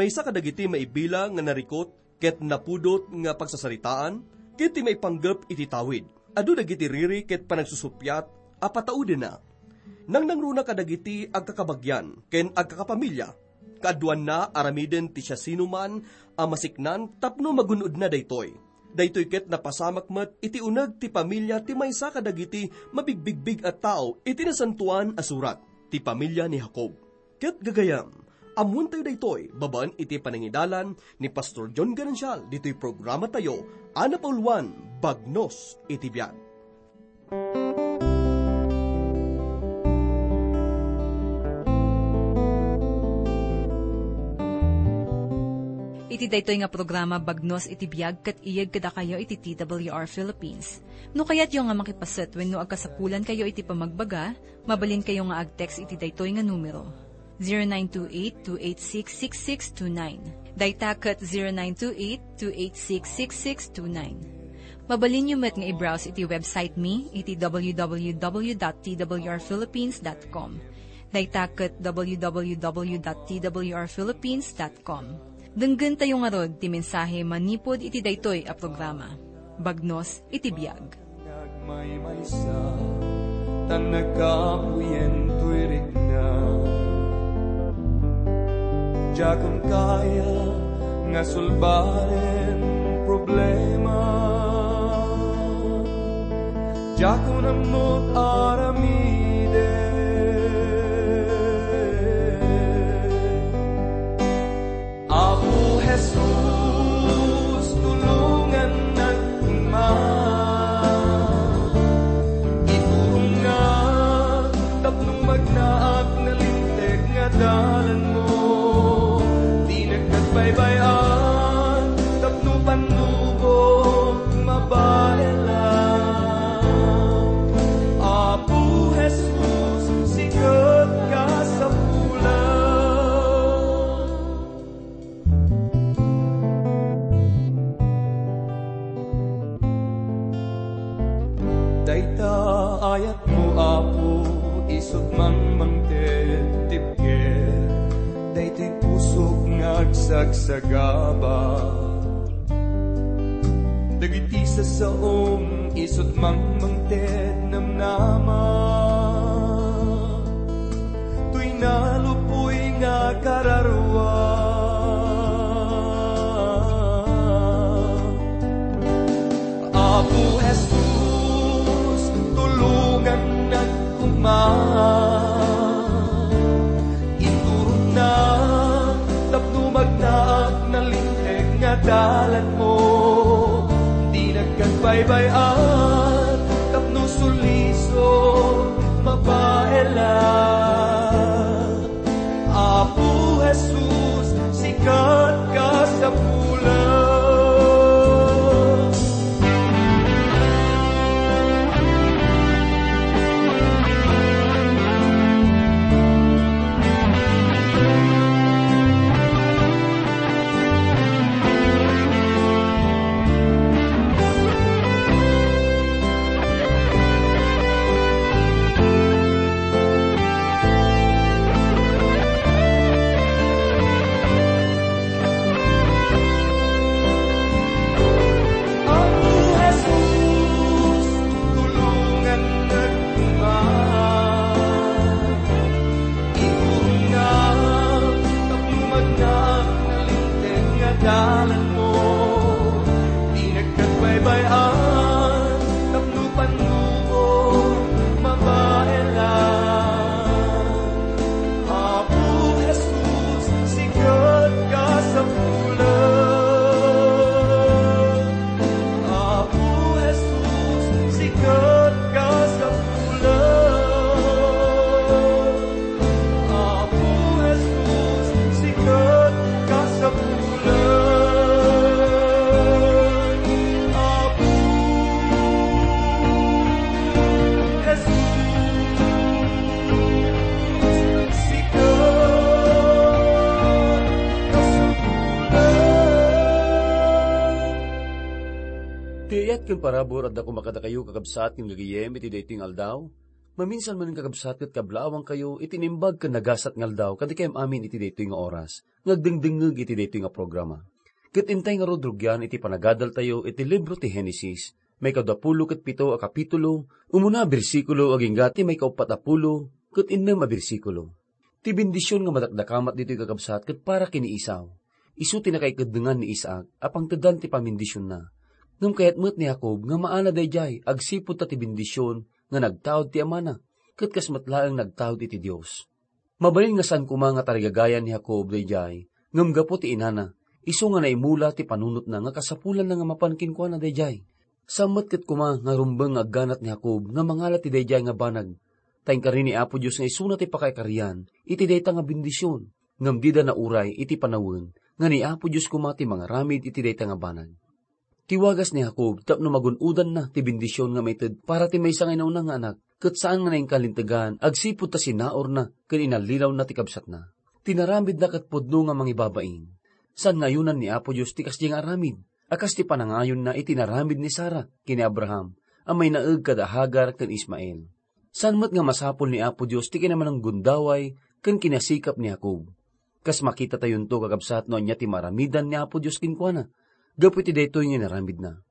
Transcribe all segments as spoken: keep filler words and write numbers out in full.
Maysa kadagiti maibilang nga narikut ket napudot nga pagsasaritaan ket ti maipanggep iti tawid. Adu dagiti riri ket panagsusuppiat a pataudenna. Nangnangruna kadagiti agkakabagian ken agkakapamilya. Kaaduanna, aramiden ti siasinoman a masiknan tapno magun-odna daytoy. Daytoy ket napasamak met iti uneg ti pamilya ti maysa kadagiti mabigbigbig a tao iti Nasantoan a Surat, ti pamilya ni Jacob. Ket gagayam, ammoentayo daytoy babaen iti panangidalan ni Pastor John Garancial ditoy programatayo a napauluan, Bagnos iti Biag. Iti daytoy nga programa, Bagnos iti Biag, ket iyeg kadakayo iti T W R Philippines. No kayatyo nga makipaset wenno agkasapulankayo iti pamagbaga, mabalinkayo nga ag-text iti daytoy nga numero, zero nine two eight two eight six six six two nine. Dayta ket zero nine two eight two eight six six six two nine. Mabalinyo met nga i-browse iti website mi iti w w w dot t w r philippines dot com. Dayta ket w w w dot t w r philippines dot com. Denggentayo ngarud ti mensahe manipud iti daytoy a programa. Bagnos iti Biag. Nagmaymaysa, tan nagkapuyen toy rikna. Diakon kaya nga sulbaren problema. Diakon ammot aramiden. Apo Jesus, tulongannak koma. Iturongnak tapno magnaak nga linteg nga dalanmo. Dinak baybay-an tapno pannubok mabaelan. Apo Jesus, sika ti kasapulan. Dayta ayatmo, Apo, isut' mangmangted ti biag. Daytoy pusok nga agsagsagaba. Dagiti sasaom, isut' mangmangted namnama. Toy nalupoy nga kararua. Apo Jesus, tulongannak koma. Iturongnak tapno magnaak nga linteg nga dalanmo. Dinak baybay-an tapno sulisok mabaelan. Apo Jesus, sika ti kasapulan. Apo Jesus, tulongannak koma. Iturongnak tapno magnaak nga linteg nga dalanmo. Dinak baybay-an tapno pannubok mabaelan. Apo Jesus, sika ti kasapulan. Apo Jesus, sika ti kasapulan. Apo Jesus, sika ti kasapulan. Apo Jesus, sika ti kasapulan. Ti ayat ken parabur adda koma kadakayo, kakabsat ken gagayyem, iti daytoy nga aldaw. Maminsan manen, kakabsat, ket kablaawankayo iti naimbag ken nagasat nga aldaw kadikayam amin iti daytoy nga oras nga agdengdengngeg iti daytoy nga programa. Ket intay ngarud rugian iti panagadaltayo iti libro ti Genesis, maikadua pulo ket pito a kapitulo, umuna a bersikulo agingga ti maikauppat a pulo ket innem a bersikulo. Ti bendision nga madakdakamat ditoy, kakabsat, ket para ken ni Esau. Isu ti nakaikaddengan ni Isaac a pangtedan ti pamendisionna. Ngem kayat met ni Jacob nga maala daydiay agsipud ta ti bendision nga nagtaud ti amana, ket kas met laeng nagtaud iti Dios. Mabalin nga saan koma nga tarigagayan ni Jacob daydiay, ngem gapu ti inana, isu nga naimula ti panunotna nga kasapulanna nga mapan kenkuana daydiay. Saan met ket koma nga rumbeng nga agganat ni Jacob nga mangala ti daydiay nga banag, ta inkari ni Apo Dios nga isuna ti pakaikarian iti dayta nga bendision, ngem dida nauray iti panawen nga ni Apo Dios koma ti mangaramid iti dayta nga banag. Ti wagas ni Jacob tapno magun-odanna ti bendision nga maited para ti maysa nga inauna nga anak, ket saan nga nainkalintegan agsipud ta sinaurna ken inallilawna ti kabsatna. Tinaramidna ket pudno nga mangibabain. Saan nga ayonan ni Apo Dios ti kasdiay nga aramid, a kas ti panangayonna iti naramid ni Sara ken ni Abraham a mainaeg kada Hagar ken Ismael. Saan met nga masapul ni Apo Dios ti kinamananggundaway ken kinasikap ni Jacob. Kas makitatayonto, kakabsat, no ania ti maaramidan ni Apo Dios kenkuana gapu iti daytoy nga inaramidna.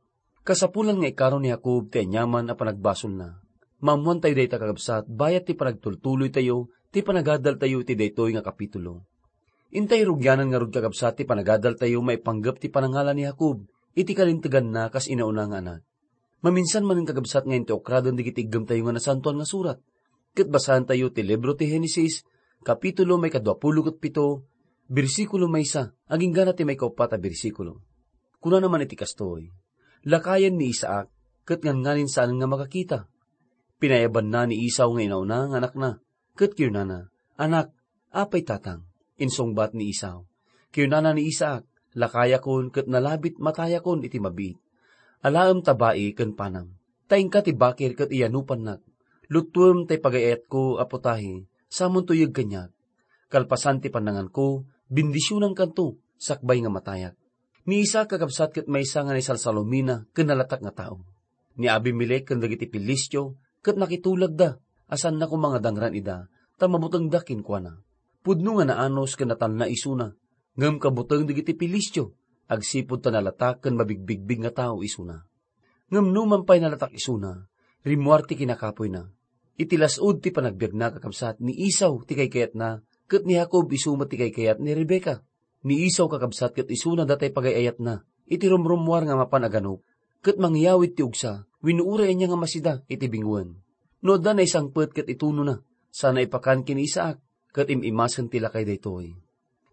Kasapulan nga ikaro ni Jacob ti aniaman a panagbasolna. Maammoantayo dayta, kakabsat, bayat ti panagtultuloytayo ti panagadaltayo iti daytoy nga kapitulo. Intay rugianan ngarud, kakabsat, ti panagadaltayo maipanggep ti panangala ni Jacob iti kalinteganna kas inauna nga anak. Maminsan manen, kakabsat, nga inti ukraden dagiti iggemtayo nga Nasantoan nga Surat. Ket basaentayo ti libro ti Genesis, kapitulo maikadua pulo ket pito, bersikulo maysa, aginggana ti maikauppat a bersikulo. Kunana man iti kastoy, "Lakayen ni Isaac, ket nganngani saan nga makakita. Pinayabanna ni Esau nga inauna nga anakna, ket kinunana, 'Anak, apay tatang?' Insungbat ni Esau. Kinunana ni Isaac, 'Lakayakon ket nalabit matayakon iti mabiit. Alaem ta bai ken panam. Ta inka ti bakir ket iyanupannak. Luttuem tay pagay-ayatko a putahe, samonto yeg kaniak. Kalpasan ti pannanganko, bendisionankanto sakbay nga matayak.' Ni Isaac, kakabsat, ket maysa nga naisalsalumina ken nalatak nga tao. Ni Abimelec ken dagiti Filistio ket nakitulagda a saanna koma nga dangran ida ta mabutengda kenkuana. Pudno nga naanus ken natalna isuna, ngem kabuteng dagiti Filistio agsipud ta nalatak ken mabigbigbig nga tao isuna. Ngem numan pay nalatak isuna, rimmuar ti kinakapoyna. Iti las-ud ti panagbiagna, kakabsat, ni Esau ti kaykayatna, ket ni Jacob isu met ti kaykayat ni Rebecca. Ni Esau, kakabsat, ket isuna datay pagay-ayatna iti rumrummuar nga mapan a ganup, ket mangyawid ti ugsa wenno uray ania nga masida iti binguen. No adda naisangpet ket itunona, sana ipakan ken ni Isaac, ket im-imasen ti lakay daytoy.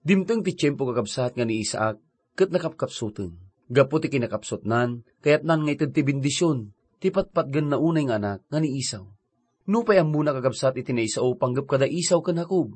Dimteng ti tiempo, kakabsat, nga ni Isaac ket nakapkapsuten. Gapu ti kinakapsutnan, kayatnan nga ited ti bendision ti patpatgenna unay nga anak nga ni Esau. Nupay ammona, kakabsat, iti naisao panggep kada Esau ken Jacob,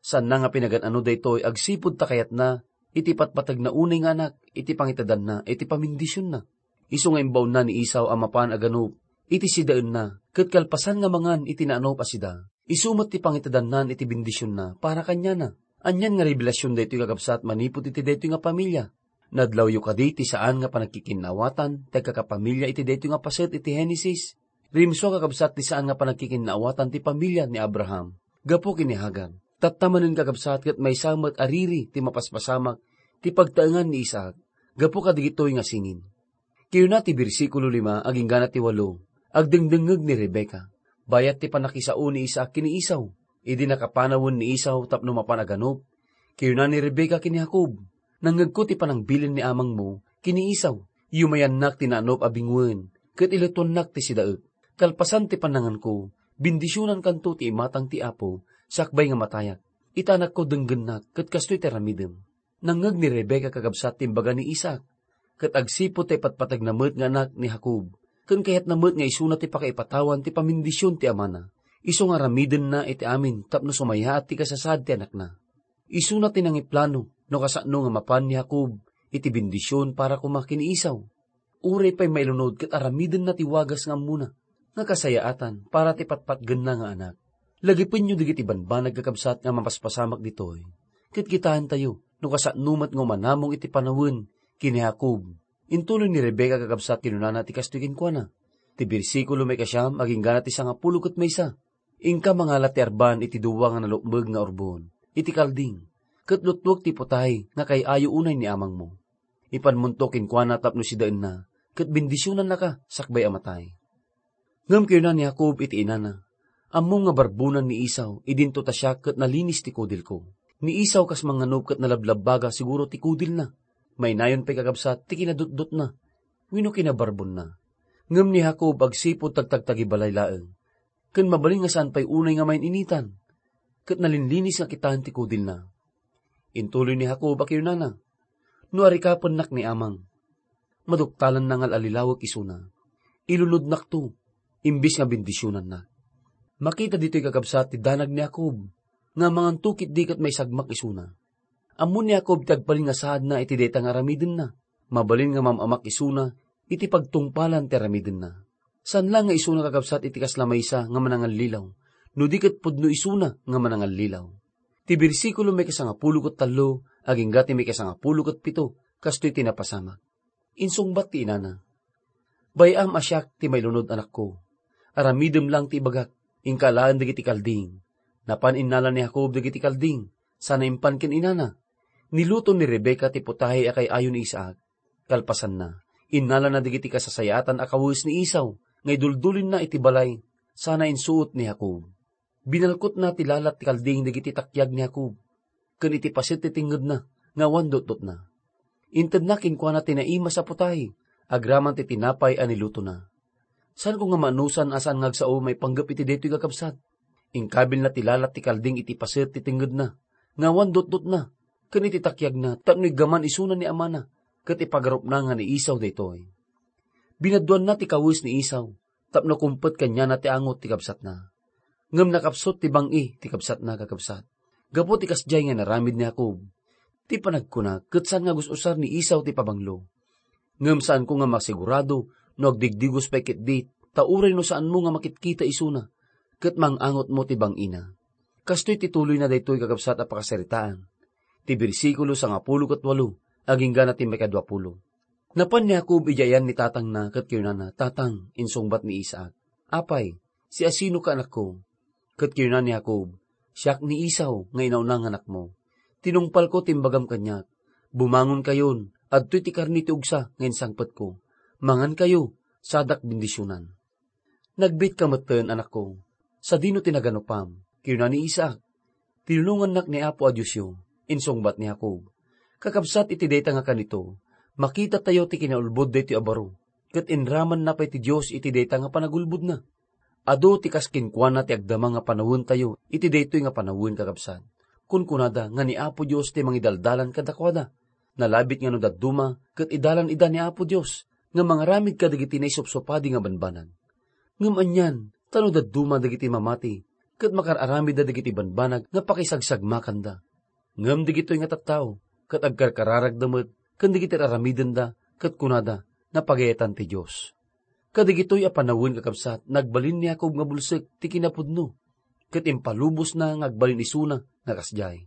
saanna nga pinagan-ano daytoy agsipud ta kayatna iti patpategna unay nga anak iti pangitedanna iti pamendisionna. Isu nga imbaonna ni Esau a mapan a ganup iti sidaenna, ket kalpasan nga mangan iti naanup a sida, isu met ti pangitedannan iti bendisionna para kaniana. Anian nga rebelasion daytoy, kakabsat, manipud iti daytoy nga pamilia. Nadlawyo kadi ti saan nga panagkikinnaawatan ti agkakapamilia iti daytoy nga paset iti Genesis? Rimsua, kakabsat, ti saan nga panagkikinnaawatan ti pamilia ni Abraham gapu ken ni Hagar. Tatta manen, kakabsat, ket maysa met a riri ti mapaspasamak ti pagtaengan ni Isaac gapu kadagitoy nga singin. Kinuna ti bersikulo lima aginggana ti walo, agdengdengngeg ni Rebecca. Bayat ti pannakisao ni Isaac ken ni Esau. Idi nakapanawen ni Esau tapno mapan a ganup, kinuna ni Rebecca ken ni Jacob, "Nangngegko ti panangbilin ni amangmo ken ni Esau. Yumayannak ti naanup a binguen, ket iluttuannak ti sidaek. Kalpasan ti pannanganko, bendisionankanto ti imatang ti Apo sakbay nga matayak. Ita anakko, denggennak, ket kastoy ti aramidem." Nangngeg ni Rebecca, kakabsat, ti imbaga ni Isaac, ket agsipud ta ipatpategna met nga anak ni Jacob, ken kayatna met nga isuna ti pakaipatawan ti pamendisyon ti amana, isu nga aramidenna iti amin tapno sumayaat ti kasasaad ti anakna. Isuna ti nangiplano no kasano nga mapan ni Jacob iti bendisyon para koma ken ni Esau. Uray pay mailunod ket aramidenna ti wagas nga ammona nga kasayaatan para ti patpatgenna nga anak. Lagipenyo dagiti banbanag, kakabsat, nga mapaspasamak ditoy, ket kitaentayo no kasano met nga umanamong iti panawen ken ni Jacob. Intuloy ni Rebecca, kakabsat, kinunana ti kastoy kenkuana. Ti bersikulo maikasiam aginggana ti sangapulo ket maysa, Inka mangala ti arban iti dua nga nalukmeg nga urbon iti kalding, ket lutwek ti putahe nga kay-ayo unay ni amangmo. Ipanmonto kenkuana tapno sidaenna, ket bendisionannaka sakbay a matay." Ngem kinuna ni Jacob iti inana, "Ammom nga barbonan ni Esau idinto ta siak ket nalinis ti kudilko. Ni Esau kas manganub ket nalablabbaga siguro ti kudilna. Mainayon pay kakabsat ti kinadutdotna wenno kinabarbonna." Ngem ni Jacob agsipud tagtagtagibalay laeng, ken mabalin nga saan pay unay nga main-initan, ket nalinlinis nga kitaen ti kudilna. Intuloy ni Jacob a kinunana, "No arikapennak ni amang, maduktalanna nga al-allilawek isuna. Ilunodnakto, imbes nga bendisionannak." Makita ditoy, kakabsat, ti danag ni Jacob nga manganto ketdi ket maisagmak isuna. Ammo ni Jacob ti agbalin nga saadna iti dayta nga aramidenna. Mabalin nga mam-amak isuna iti pagtungpalan ti aramidenna. Saan la nga isuna, kakabsat, iti kasla maysa nga manangallilaw, no di ket pudno isuna nga manangallilaw. Ti bersikulo maikasangapulo ket tallo agingga ti maikasangapulo ket pito, kastoy ti napasamak. Insungbat ti inana, "Bay-am a siak ti mailunod, anakko. Aramidem lang ti ibagak, inka alaen dagiti kalding." Napan innala ni Jacob dagiti kalding, sana impan ken inana. Niluto ni Rebecca ti putahe a kay-ayo ni Isaac. Kalpasanna, innalana dagiti kasasayaatan a kawes ni Esau nga iduldulinna iti balay, sana insuot ni Jacob. Binalkotna ti lalat ti kalding dagiti takiag ni Jacob, ken iti paset ti tengngedna nga awan dutdotna. Intedna kenkuana ti naimas a putahe agraman ti tinapay a nilutona. Saanko nga maanusan a saan nga agsao maipanggep iti daytoy, kakabsat? Inkabilna ti lalat ti kalding iti paset ti tengngedna nga awan dutdotna, ken iti takiagna tapno iggaman isuna ni amana, ket ipagarupna nga ni Esau daytoy. Binaduanna ti kawes ni Esau tapno kumpet kaniana ti angot ti kabsatna. Ngem nakapsut ti bang-i ti kabsatna, kakabsat, gapu ti kasdiay nga inaramid ni Jacob. Ti panagkuna ket saan nga gus-usar ni Esau ti pabanglo. Ngem saanko nga masigurado no agdigdigos pay ketdi, ta uray no saanmo nga makitkita isuna, ket mang-angotmo ti bang-ina. Kastoy ti tuloyna daytoy, kakabsat, a pakasaritaan. Ti bersikulo sangapulo ket walo, aginggana ti maikaduapulo. Napan ni Jacob idiay ayan ni tatangna ket kinunana, "Tatang," insungbat ni Isaac, "Apay, siasinoka, anakko?" Ket kinuna ni Jacob, "Siak ni Esau nga inauna nga anakmo. Tinungpalko ti imbagam kaniak, 'Bumangonkayon, adtoy ti karne ti ugsa nga insangpetko. Mangankayo, sadak bendisionan.'" "Nagbiitka metten, anakko, sadino ti naganupam?" kinuna ni Isaac. "Tinulongannak ni Apo a Diosyo," insungbat ni Jacob. Kakabsat iti dayta nga kanito, makitatayo ti kinaulbod daytoy a baro, ket inramanna pay ti Dios iti dayta nga panagulbodna. Adu ti kas kenkuana ti agdama nga panawentayo iti daytoy nga panawen, kakabsat. Kunkunada nga ni Apo Dios ti mangidaldalan kadakuada. Nalabit nga no dadduma ket idalan ida ni Apo Dios nga mangaramid kadagiti naisupsupadi nga banbanag. Ngem anian, ta no dadduma dagiti mamati, ket makar-aramidda dagiti banbanag nga pakisagsagmakanda. Ngem dagitoy nga tattao, ket agkarkararagda met ken dagiti aramidenda, ket kunada, "Napagayatan ti Dios." Kadagitoy a panawen, kakabsat, nagbalin ni Jacob nga bulsek ti kinapudno, ket impalubosna nga agbalin isuna nga kasdiay.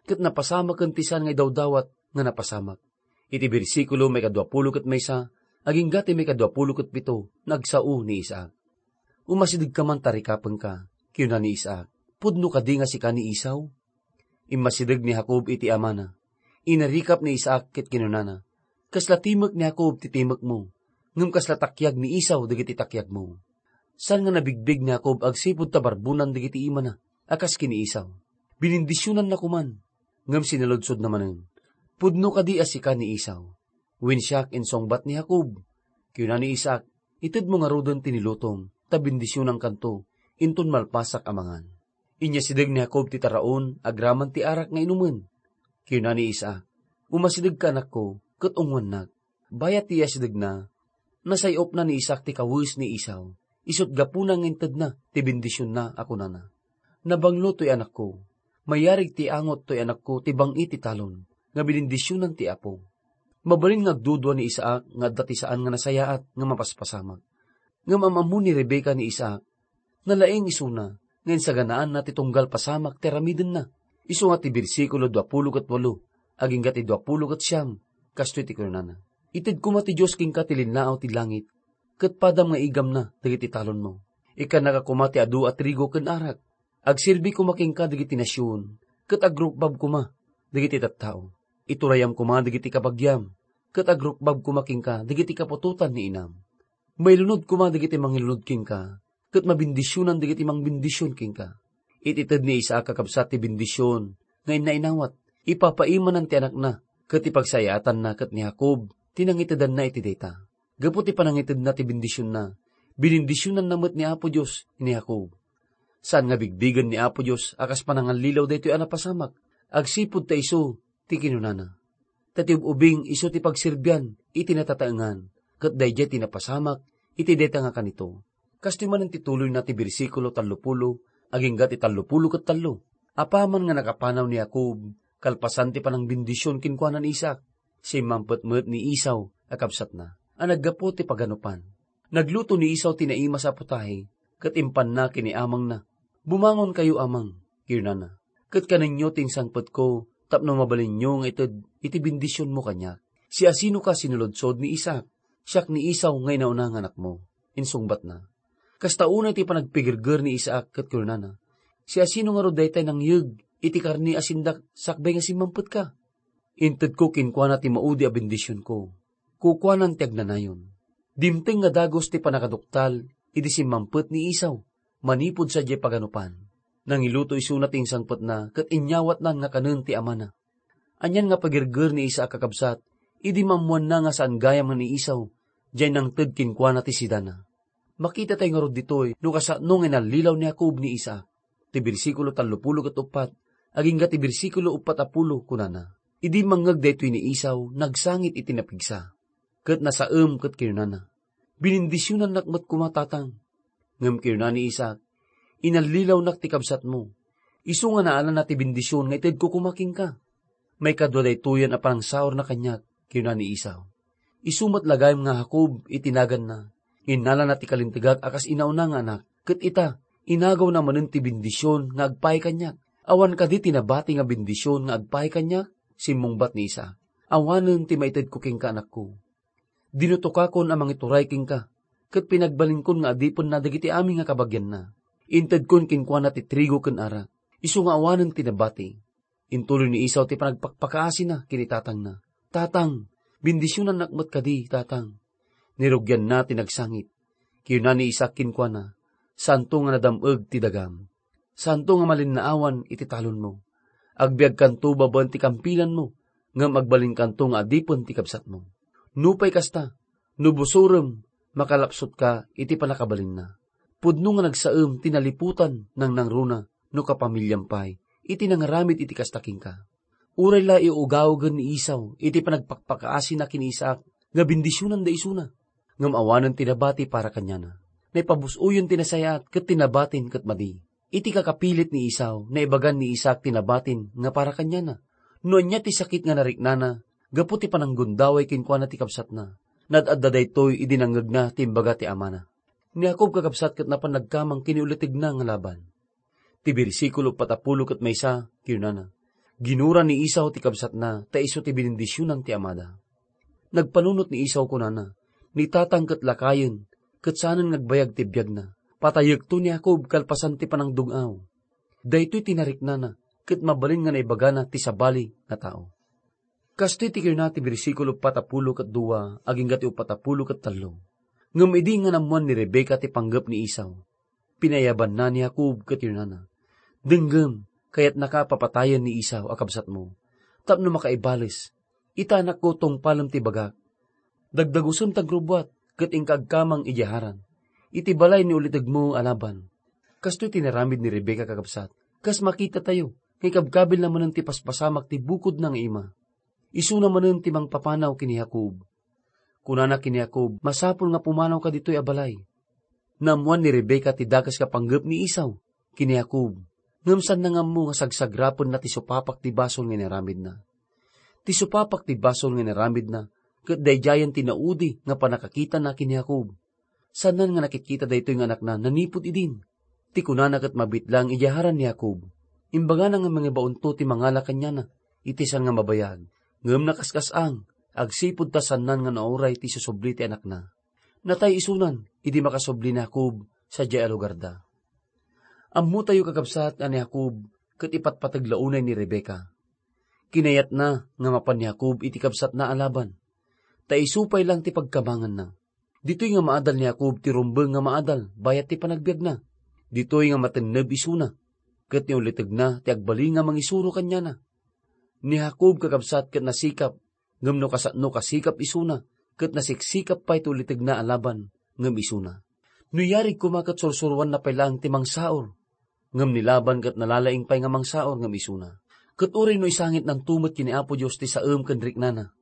Ket napasamaken ti saan nga idawdawat nga napasamak. Iti bersikulo maikaduapulo ket maysa, agingga ti maikaduapulo ket pito, nagsao ni Isaac. "Umasidegka man ta rikapenka," kinuna ni Isaac. "Pudno kadi nga sika ni Esau?" Immasideg ni Jacob iti amana. Inarikap ni Isaac ket kinunana, "Kasla timek ni Jacob ti timekmo, ngem kasla takiag ni Esau dagiti takiagmo." Saan nga nabigbig ni Jacob agsipud ta barbonan dagiti imana a kas ken ni Esau. Binindisionanna koman, ngem sinaludsodna manen, "Pudno kadi a sika ni Esau?" "Wen siak," insungbat ni Jacob. Kinuna ni Isaac, "Itedmo ngaruden ti nilutom, ta bendisionankanto, inton malpasak a mangan." Inyasideg ni Jacob ti taraon agraman ti arak nga inumen. Kinuna ni Isaac, "Umasidegka, anakko, ket ungoannak." Bayat ti iyasidegna, nasay-opna ni Isaac ti kawes ni Esau, isut' gapuna nga intedna ti bendisionna a kunana, "Nabanglo toy anakko. Mayarig ti angot toy anakko ti bang-i ti talon nga binindisionan ti Apo." Mabalin nga agdudua ni Isaac nga adda ti saan nga nasayaat nga mapaspasamak. Ngem am-ammo ni Rebecca ni Isaac, nalaing isuna nga insaganaanna ti tunggal pasamak ti aramidenna. Isu nga ti bersikulo duapulo ket walo agingga ti duapulo ket siam, kastoy ti kunana, "Ited koma ti Dios kenka ti linnaaw ti langit, ket padam nga igamna dagiti talonmo. Ikkannaka koma ti adu a trigo ken arak. Agserbi koma kenka dagiti nasion, ket agrukbab koma dagiti tattao. Iturayam koma dagiti kabagiam, ket agrukbab koma kenka dagiti kaputotan ni inam. Mailunod koma dagiti mangilunod kenka, ket mabendisionan dagiti mangbendision kenka. Iti ted ni Isaac a kabsat ti bendision nga innainawat, ipapaimanan ti anakna, ket ti pagsayaatanna ket ni Jacob ti nangitedanna iti dayta. Gapu ti panangitedna ti bendisionna, binindisionanna met ni Apo Dios ni Jacob. Saan nga bigbigen ni Apo Dios a kas panangallilaw daytoy a napasamak, agsipud ta isu ti kinunana. Ta ti ub-ubing isu ti pagserbian iti natataengan, ket daydiay ti napasamak iti dayta nga kanito. Kastoy manen ti tuloyna ti bersikulo tallopulo, agingga ti tallopulo ket tallo. Apaman nga nakapanaw ni Jacob, kalpasan ti panangbendision kenkuana ni Isaac, simmampet met ni Esau a kabsatna, a naggapu ti paganupan. Nagluto ni Esau ti naimas a putahe, ket impanna ken ni amangna. "Bumangonkayo, amang," kinunana, "ket kanenyo ti insangpetko tapno mabalinyo nga ited iti bendisionmo kaniak. Siasinoka?" "Sinuludsod ni Isaac. Siak ni Esau nga inauna nga anakmo," insungbatna. Kasta unay ti panagpigirger ni Isaac ket kinunana, "Siasino ngarud daytay nangyeg iti karne a sindak sakbay nga simmampetka? Intedko kenkuana ti maudi a bendisionko. Kukuanan ti agnanayon." Dimteng nga dagus ti pannakaduktal idi simmampet ni Esau manipud sadiay paganupan. Nangiluto isuna ti insangpetna ket inyawatnan nga kanen ti amana. Anian nga pagirger ni Isaac a kakabsat idi maammoanna nga saan gayam nga ni Esau diay nangted kenkuana ti sidana. Makitatayo ngarud ditoy no kasano nga inallilaw ni Jacob ni Isaac. Ti bersikulo tallopulo ket uppat agingga ti bersikulo uppat a pulo kunana, "Idi mangngeg daytoy ni Esau, nagsangit iti napigsa, ket nasaem ket kinunana, 'Binindisionannak met koma, tatang.' Ngem kinuna ni Isaac, 'Inallilawnak ti kabsatmo. Isu nga naalana ti bendision nga itedko koma kenka.' Maikadua daytoyen a panangsaurna kaniak," kinuna ni Esau. "Isu met la gayam nga Jacob iti naganna. Innalana ti kalintegak a kas inauna nga anak, ket ita, inagawna manen ti bendision nga agpaay kaniak. Awan kadi ti nabati nga bendision nga agpaay kaniak?" simmungbat ni Isaac. "Awanen ti maitedko kenka, anakko. Dinutokakon a mangituray kenka, ket pinagbalinkon nga adipenna dagiti amin nga kabagianna. Intedkon kenkuana ti trigo ken arak, isu nga awanen ti nabati." Intuloy ni Esau ti panagpakpakaasina ken itatangna, "Tatang, bendisionannak met kadi, tatang." Nirugianna ti nagsangit. Kinuna ni Isaac kenkuana, "Saanto nga nadam-eg ti dagam. Saanto nga malinnaawan iti talonmo. Agbiagkanto babaen ti kampilanmo, ngem agbalinkanto nga adipen ti kabsatmo. Nupay kasta, no busurem, makalapsutka iti pannakabalinna. Pudno nga nagsaem ti naliputan nangnangruna no kapamiliam pay iti nangaramid iti kasta kenka." Uray la iugawagen ni Esau iti panagpakpakaasina ken ni Isaac nga bendisionanda isuna, ngem awanen ti nabati para kaniana. Naipabus-oyen ti nasayaat ket ti nabatin ket madi. Iti kakapilit ni Esau, naibagan ni Isaac ti nabatin nga para kaniana. No ania ti sakit nga nariknana gapu ti pananggundaway kenkuana ti kabsatna, nad-adda daytoy idi nangngegna ti imbaga ti amana. Ni Jacob kakabsat ket napan nagkamang ken ni ulitegna nga Laban. Ti bersikulo patappulo ket maysa, kinunana, "Ginura ni Esau ti kabsatna ta isu ti binindisionan ti amada." Nagpanunot ni Esau kunana, "Ni tatang ket lakayen, ket saanen nga agbayag ti biagna. Patayekto ni Jacob kalpasan ti panangdung-aw. Daytoy ti nariknana, ket mabalin nga naibagana ti sabali nga tao." Kastoy ti kinuna ti bersikulo patappulo ket dua agingga ti upatappulo ket tallo. Ngem idi nga nammuan ni Rebecca ti panggep ni Esau, pinayabanna ni Jacob ket kinunana, "Denggem, kayatnaka a papatayen ni Esau a kabsatmo, tapno makaibales. Ita, anakko, tungpalem ti bagak. Dagdagusem ti agrubbuat ket inka agkamang idiay Haran, iti balay ni ulitegmo a Laban." Kastoy ti inaramid ni Rebecca, kakabsat, kas makitatayo nga ikabkabilna manen ti paspasamak ti bukodna nga ima. Isuna manen ti mangpapanaw ken ni Jacob. Kunana ken ni Jacob, "Masapul nga pumanawka ditoy a balay." Naammoan ni Rebecca ti dakes nga panggep ni Esau ken ni Jacob, ngem saanna nga ammo nga sagsagrapenna ti supapak ti basol nga inaramidna. Ti supapak ti basol nga inaramidna ket daydiayen ti naudi nga pannakakitana ken ni Jacob. Saanna nga nakitkita daytoy nga anakna nanipud idin. Ti kunana ket mabitlang idiay Haran ni Jacob. Imbagana nga mangibaonto ti mangala kaniana iti saan nga mabayag, ngem nakaskas-ang agsipud ta saanna nga nauray ti isusubli ti anakna. Natay isunan idi makasubli ni Jacob sadiay a lugarda. Ammotayo, kakabsat, a ni Jacob ket ipatpateg la unay ni Rebecca. Kinayatna nga mapan ni Jacob iti kabsatna a Laban, ta isu pay lang ti pagkabanganna. Ditoy nga maadal ni Jacob ti rumbeng nga maadal bayat ti panagbiagna. Ditoy nga matenneb isuna, ket ni ulitegna ti agbalin nga mangisuro kaniana. Ni Jacob, kakabsat, ket nasikap, ngem no kasano kasikap isuna, ket nasiksikap pay ti ulitegna a Laban ngem isuna. No yarig koma ket sursuroanna pay laeng ti mangsaor, ngem ni Laban ket nalalaing pay nga mangsaor ngem isuna. Ket uray no isangitnanto met ken ni Apo Dios ti saem ken riknana,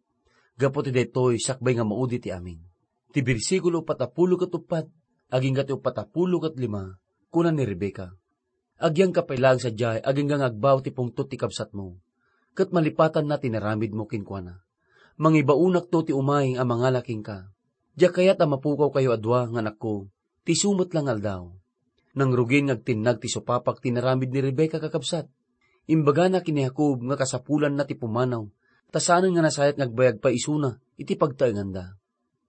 gapu ti daytoy sakbay nga maudi ti amin. Ti bersikulo uppat a pulo ket uppat, agingga ti uppat a pulo ket lima, kuna ni Rebecca, "Agyangka pay laeng sadiay agingga nga agbao ti pungtot ti kabsatmo, ket malipatanna ti naramidmo kenkuana. Mangibaonakto ti umay a mangala kenka. Diak kayat a mapukawkayo a dua nga anakko, ti isu met la nga aldaw." Nangrugin nga agtinnag ti supapak ti naramid ni Rebecca, kakabsat. Imbagana ken ni Jacob nga kasapulanna ti pumanaw, ta saanen nga nasayat nga agbayag pay isuna iti pagtaenganda.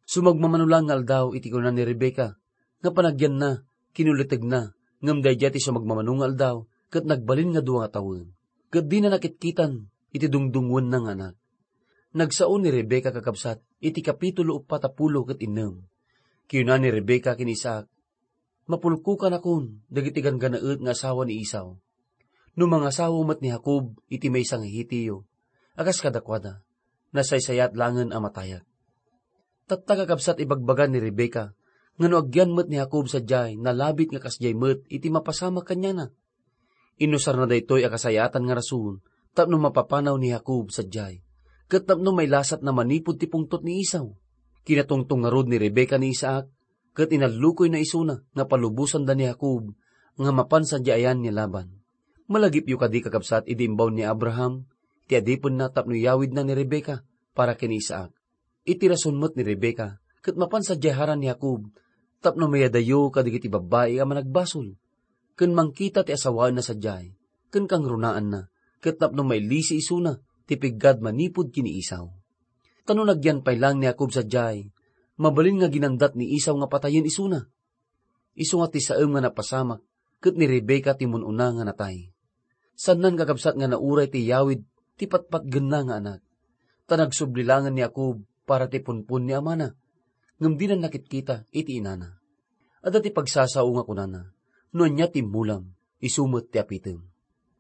Sumagmamano laeng nga aldaw iti kuna ni Rebecca nga panagyanna, kinulitegna, ngem daydiay ti sumagmamano nga aldaw ket nagbalin nga dua nga tawen, ket dina nakitkitan iti dungdungngoenna nga anak. Nagsao ni Rebecca, kakabsat, iti kapitulo uppat a pulo ket innem. Kinuna ni Rebecca ken Isaac, "Mapulkokanakon dagiti ganggannaet nga asawa ni Esau. No mangasawa met ni Jacob iti maysa nga Hetio a kas kadakuada, nasaysayat laengen a matayak." Tatta, kakabsat, ibagbaga ni Rebecca nga no agyan met ni Jacob sadiay, nalabit nga kasdiay met iti mapasamak kaniana. Inusarna daytoy a kasayaatan nga rason tapno mapapanaw ni Jacob sadiay, ket tapno mailasatna manipud ti pungtot ni Esau. Kinatungtong ngarud ni Rebecca ni Isaac, ket inallukoyna isuna nga palubosanda ni Jacob nga mapan sadiay ayan ni Laban. Malagipyo kadi, kakabsat, idi imbaon ni Abraham ti adipenna tapno iyawidna ni Rebecca para ken ni Isaac. Iti rason met ni Rebecca ket mapan sadiay haraan ni Jacob tapno mayadayo kadagiti babbai a managbasol, ken mangkita ti asawaenna sadiay, ken kangrunaanna, ket tapno mailisi isuna ti piggad manipud ken ni Esau. Ta no nagyan pay laeng ni Jacob sadiay, mabalin nga ginandat ni Esau nga patayen isuna. Isu nga ti saem nga napasamak, ket ni Rebecca ti mun-una nga natay. Saannan, kakabsat, nga nauray ti iyawid ti patpatgenna nga anak. Ta nagsubli laengen ni Jacob para ti punpon ni amana, ngem dina nakitkita iti inana. Adda ti pagsasao nga kunana, "No ania ti immulam, isu met ti apitem."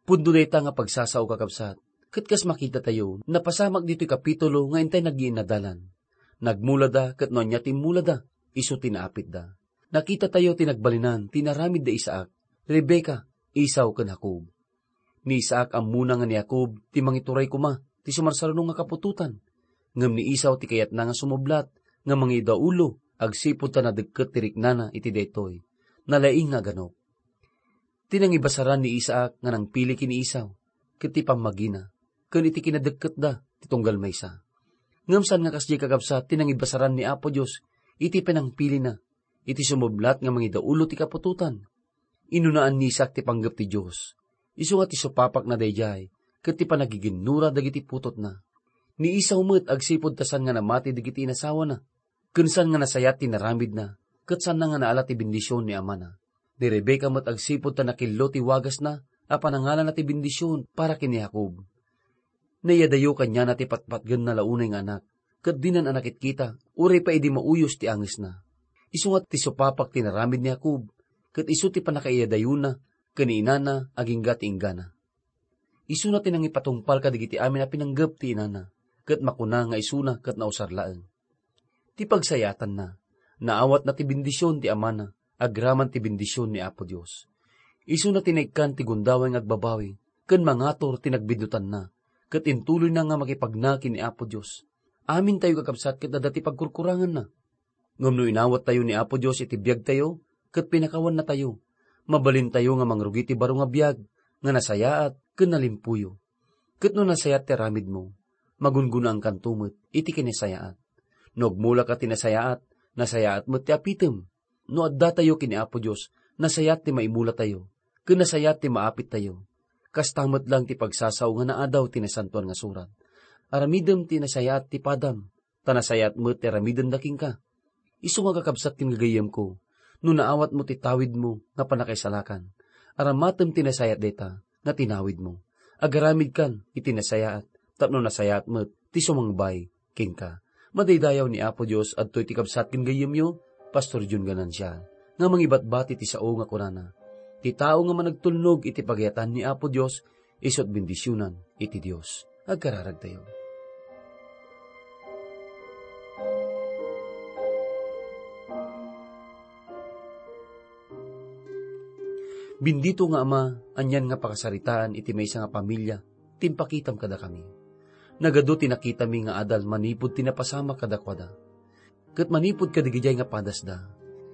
Pudno dayta nga pagsasao, kakabsat, ket kas makitatayo, napasamak ditoy kapitulo nga intay nagyiinnadalan. Nagmulada, ket no ania ti immulada, isu ti naapitda. Nakitatayo ti nagbalinan ti inaramid da Isaac, Rebecca, Esau, ken Jacob. Ni Isaac ammona nga ni Jacob ti mangituray koma ti sumarsaruno nga kaputotan, ngem ni Esau ti kayatna nga sumublat nga mangidaulo agsipud ta nadekket ti riknana iti daytoy. Nalaing nga aganok. Ti nangibasaran ni Isaac nga nangpili ken ni Esau, ket ti pammagina, ken iti kinadekketda ti tunggal maysa. Ngem saan nga kasdiay, kakabsat, ti nangibasaran ni Apo Dios iti panangpilina, iti sumublat nga mangidaulo ti kaputotan. Inunaan ni Isaac ti panggep ti Dios. Isu nga ti supapakna daydiay, ket ti panagiginnura dagiti putotna. Ni Esau met agsipud ta saan nga namati dagiti inasawana, ken saan nga nasayat ti naramidna, ket saanna nga naala ti bendision ni amana. Ni Rebecca met agsipud ta nakillo ti wagasna a panangalana ti bendision para ken ni Jacob. Naiyadayo kaniana ti patpatgenna la unay nga anak, ket dinan a nakitkita, uray pay idi mauyos ti angesna. Isu nga ti supapak ti naramid ni Jacob, ket isu ti pannakaiyadayona ken ni inana agingga ti inggana. Isuna ti nangipatungpal kadagiti amin a pinanggep ti inana, ket makuna nga isuna ket nausar laeng. Ti pagsayaatanna, naawatna ti bendision ti amana agraman ti bendision ni Apo Dios. Isuna ti naikkan ti gundaway nga agbabawi ken mangatur ti nagbinnotanna, ket intuloyna nga makipagna ken ni Apo Dios. Amintayo, kakabsat, ket adda ti pagkurkuranganna. Ngem no inawattayo ni Apo Dios iti biagtayo ket pinakawannatayo, mabalintayo nga mangrugi ti baro nga biag nga nasayaat ken nalimpuyo. Ket no nasayaat ti aramidmo, magungunaankanto met iti kinasayaat. No agmulaka ti nasayaat, nasayaat met ti apitem. No addatayo ken ni Apo Dios, nasayaat ti maimulatayo, ken nasayaat ti maapittayo. Kasta met lang ti pagsasao nga naadaw ti Nasantoan nga Surat, "Aramidem ti nasayaat ti padam, ta nasayaat met ti aramidenda kenka." Isu nga, kakabsat ken gagayyemko, no naawatmo ti tawidmo nga pannakaisalakan. Aramatem ti nasayaat dayta nga tinawidmo. Agaramidkan iti nasayaat tapno nasayaat met ti sumangbay kenka. Madaydayaw ni Apo Dios, adtoy ti kabsat ken gayyemyo, Pastor Jun Ganancia, nga mangibatbati ti sao nga kunana, "Ti tao nga managtulnog iti pagayatan ni Apo Dios, isu't bendisionan iti Dios." Agkararagtayo. Bendito nga Ama, anian nga pakasaritaan iti maysa nga pamilia ti impakitam kadakami. Nagadu ti nakitami nga adal manipud ti napasamak kadakuada, ket manipud kadagidiay nga padasda.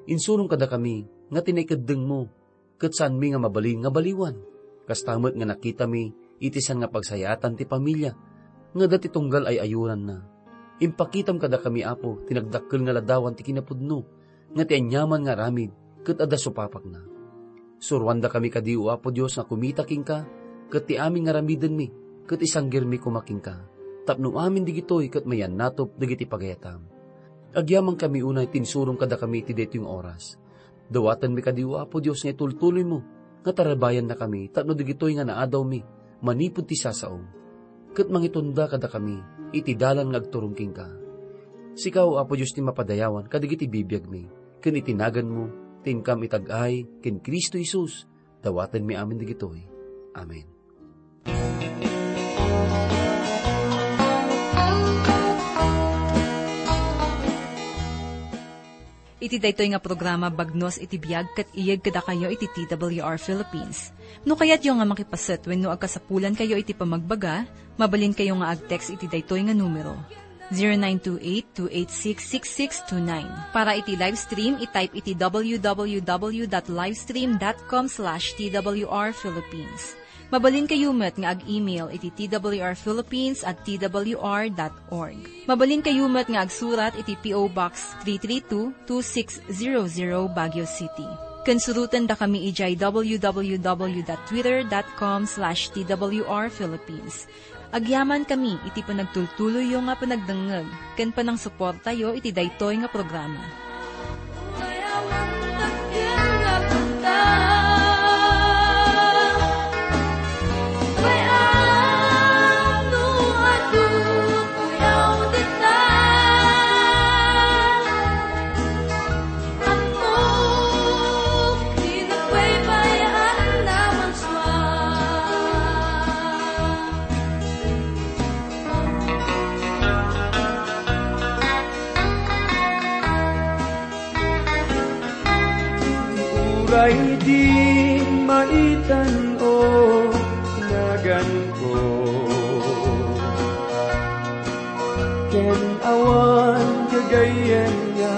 Insurong kadakami nga ti naikeddengmo ket saanmi nga mabalin nga baliwan. Kasta met nga nakitami iti saan nga pagsayaatan ti pamilia nga adda ti tunggal ay-ayoranna. Impakitam kadakami, Apo, ti nagdakkel nga ladawan ti kinapudno, nga ti aniaman nga aramid ket adda supapakna. Suroandakami kadi, O Apo Dios, nga kumita kenka, ket ti amin nga aramidenmi ket isanggirmi koma kenka, tapno amin digitoy ket mayannatop dagiti pagayatam. Agyamankami unay ti insurong kadakami iti daytoy nga oras. Dawatenmi kadi, O Apo Dios, nga itultuloymo nga tarabbayannakami tapno dagitoy nga naadawmi manipud ti sasaom, ket mangitunda kadakami iti dalan nga agturong kenka. Sika, O Apo Dios, ti mapadayawan kadagiti bibiagmi, ken iti naganmo ti inkam itag-ay ken Cristo Jesus, dawatenmi amin dagitoy. Amen. Iti daytoy nga programa, bagnos iti biag ket iyeg kadakayo iti T W R Philippines. No kayatyo nga makipaset wenno agkasapulankayo iti pamagbaga, mabalinkayo nga ag-text iti daytoy nga numero, zero nine two eight two eight six six six two nine. Para iti live stream, i-type iti w w w dot livestream dot com slash t w r philippines. Mabalinkayo met nga ag-email iti t w r philippines at t w r dot org. Mabalinkayo met nga agsurat iti P O Box three three two, two six zero zero, Baguio City. Ken surotendakami idiay w w w dot twitter dot com slash t w r philippines. Agyamankami iti panagtultuloyyo nga panagdengngeg ken panangsuportayo iti daytoy nga programa. Uray di maitan, o, naganko, ken awan gagayyem nga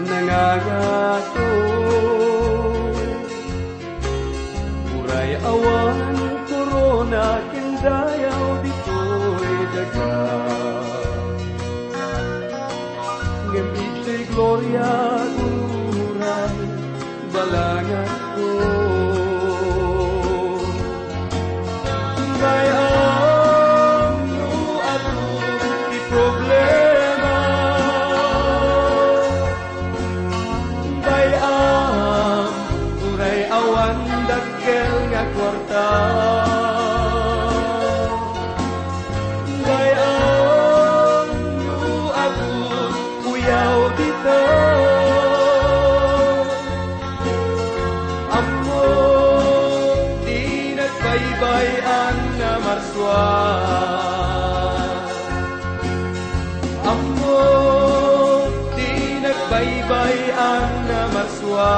nangangato. Uray awan korona ken dayaw ditoy daga, ngem itoy gloria uray balanganko. Bay-am no adu ti problema, bay-am uray awan dakkel nga kuarta. Bay-am no adu uyaw dita. Ammo ti nagbaybay-an a marsua. Ammo ti nagbaybay-an a marsua.